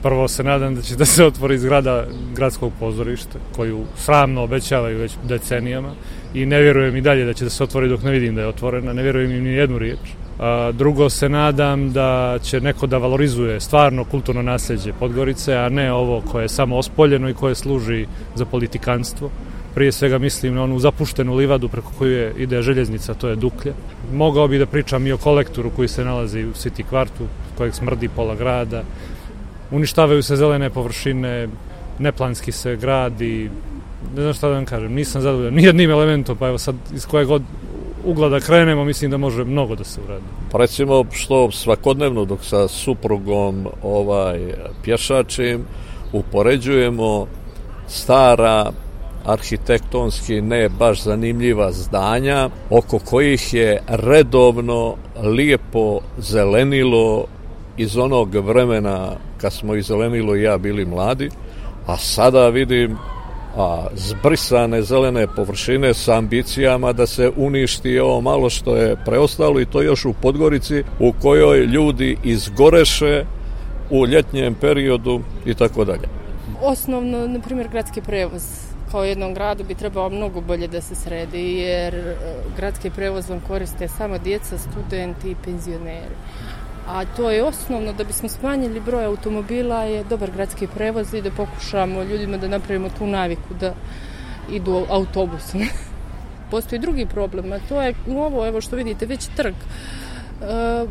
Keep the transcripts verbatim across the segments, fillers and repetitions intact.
Prvo se nadam da će da se otvori zgrada gradskog pozorišta, koju sramno obećavaju već decenijama i ne vjerujem i dalje da će da se otvori dok ne vidim da je otvorena, ne vjerujem im ni jednu riječ. A drugo se nadam da će neko da valorizuje stvarno kulturno nasljeđe Podgorice, a ne ovo koje je samo ospoljeno i koje služi za politikanstvo. Prije svega mislim na onu zapuštenu livadu preko koju ide željeznica, to je Duklja. Mogao bi da pričam i o kolektoru koji se nalazi u City kvartu, kojeg smrdi pola grada. Uništavaju se zelene površine, neplanski se gradi, ne znam šta da vam kažem, nisam zadovoljan nijednim elementom, pa evo sad iz kojeg god ugla da krenemo, mislim da može mnogo da se uradi. Pa recimo što svakodnevno dok sa suprugom ovaj, pješačim, upoređujemo stara arhitektonski ne baš zanimljiva zdanja oko kojih je redovno lijepo zelenilo iz onog vremena kad smo i zelenilo i ja bili mladi, a sada vidim a, zbrisane zelene površine sa ambicijama da se uništi ovo malo što je preostalo i to još u Podgorici u kojoj ljudi izgoreše u ljetnjem periodu i tako dalje. Osnovno, na primjer, gradski prevoz kao jednom gradu bi trebao mnogo bolje da se sredi, jer gradski prevoz vam koriste samo djeca, studenti i penzioneri. A to je osnovno da bismo smanjili broj automobila je dobar gradski prevoz i da pokušamo ljudima da napravimo tu naviku da idu autobusom. Postoji drugi problem, a to je ovo, evo što vidite, već trg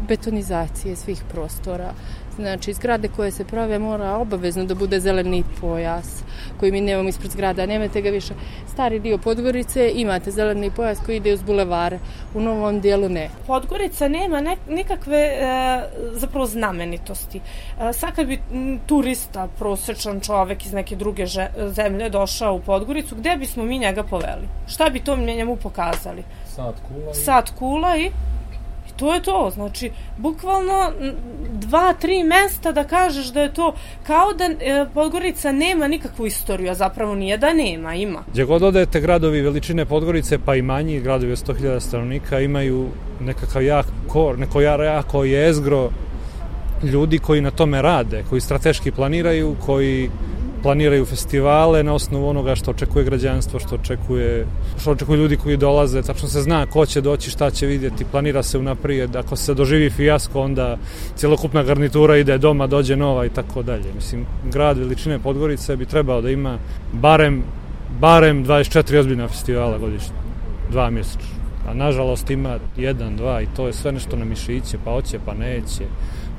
betonizacije svih prostora. Znači, zgrade koje se prave mora obavezno da bude zeleni pojas koji mi nemamo ispred zgrada, nemate ga više. Stari dio Podgorice imate zeleni pojas koji ide uz bulevare, u novom dijelu ne. Podgorica nema ne, nikakve e, zapravo znamenitosti. E, sad kad bi turista, prosječan čovek iz neke druge že, zemlje došao u Podgoricu, gde bismo mi njega poveli? Šta bi to njemu pokazali? Sat kula i... Sat kula i... To je to, znači, bukvalno dva, tri mesta da kažeš da je to kao da e, Podgorica nema nikakvu istoriju, a zapravo nije da nema, ima. Gdje god odete gradovi veličine Podgorice, pa i manji gradovi od sto hiljada stanovnika imaju nekakav jak kor, neko jako jezgro ljudi koji na tome rade, koji strateški planiraju, koji planiraju festivale na osnovu onoga što očekuje građanstvo, što očekuje, što očekuju ljudi koji dolaze, tačno se zna ko će doći, šta će vidjeti, planira se unaprijed, ako se doživi fijasko, onda cjelokupna garnitura ide doma, dođe nova i tako dalje. Mislim, grad veličine Podgorice bi trebao da ima barem, barem dvadeset četiri ozbiljna festivala godišnje, dva mjesečno. A nažalost ima jedan, dva i to je sve nešto na mišiće, pa hoće, pa neće.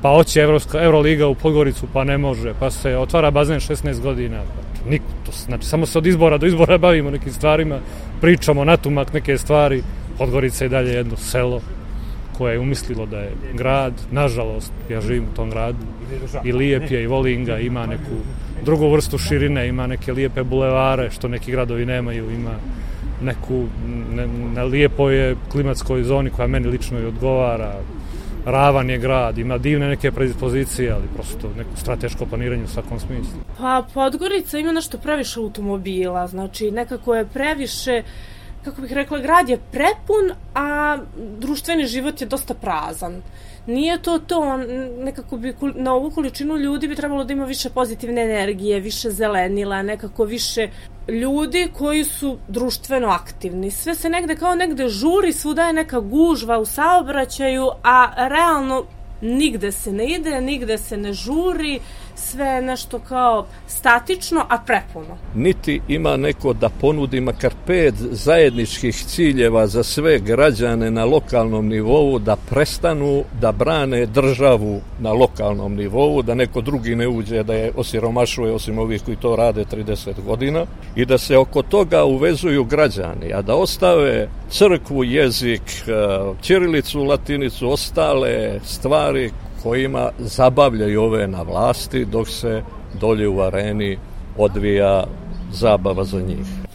Pa hoće Evropska, Euroliga u Podgoricu, pa ne može, pa se otvara bazen šesnaest godina. Niko, to, znači, samo se od izbora do izbora bavimo nekim stvarima, pričamo natumak neke stvari. Podgorica je dalje jedno selo koje je umislilo da je grad. Nažalost, ja živim u tom gradu i lijep je i volim ga, ima neku drugu vrstu širine, ima neke lijepe bulevare, što neki gradovi nemaju, ima neku, ne, na lijepoj je klimatskoj zoni koja meni lično i odgovara. Ravan je grad, ima divne neke predispozicije, ali prosto neko strateško planiranje u svakom smislu. Pa Podgorica ima nešto previše automobila, znači nekako je previše, kako bih rekla, grad je prepun, a društveni život je dosta prazan. Nije to to, nekako bi na ovu količinu ljudi bi trebalo da ima više pozitivne energije, više zelenila, nekako više ljudi koji su društveno aktivni. Sve se negde kao negde žuri, svuda je neka gužva u saobraćaju, a realno nigde se ne ide, nigde se ne žuri, sve je nešto kao statično, a prepuno. Niti ima neko da ponudi makar pet zajedničkih ciljeva za sve građane na lokalnom nivou, da prestanu da brane državu na lokalnom nivou, da neko drugi ne uđe da je osiromašuje osim ovih koji to rade trideset godina i da se oko toga uvezuju građani, a da ostave crkvu, jezik, ćirilicu, latinicu, ostale stvari kojima zabavljaju ove na vlasti dok se dolje u areni odvija zabava za njih.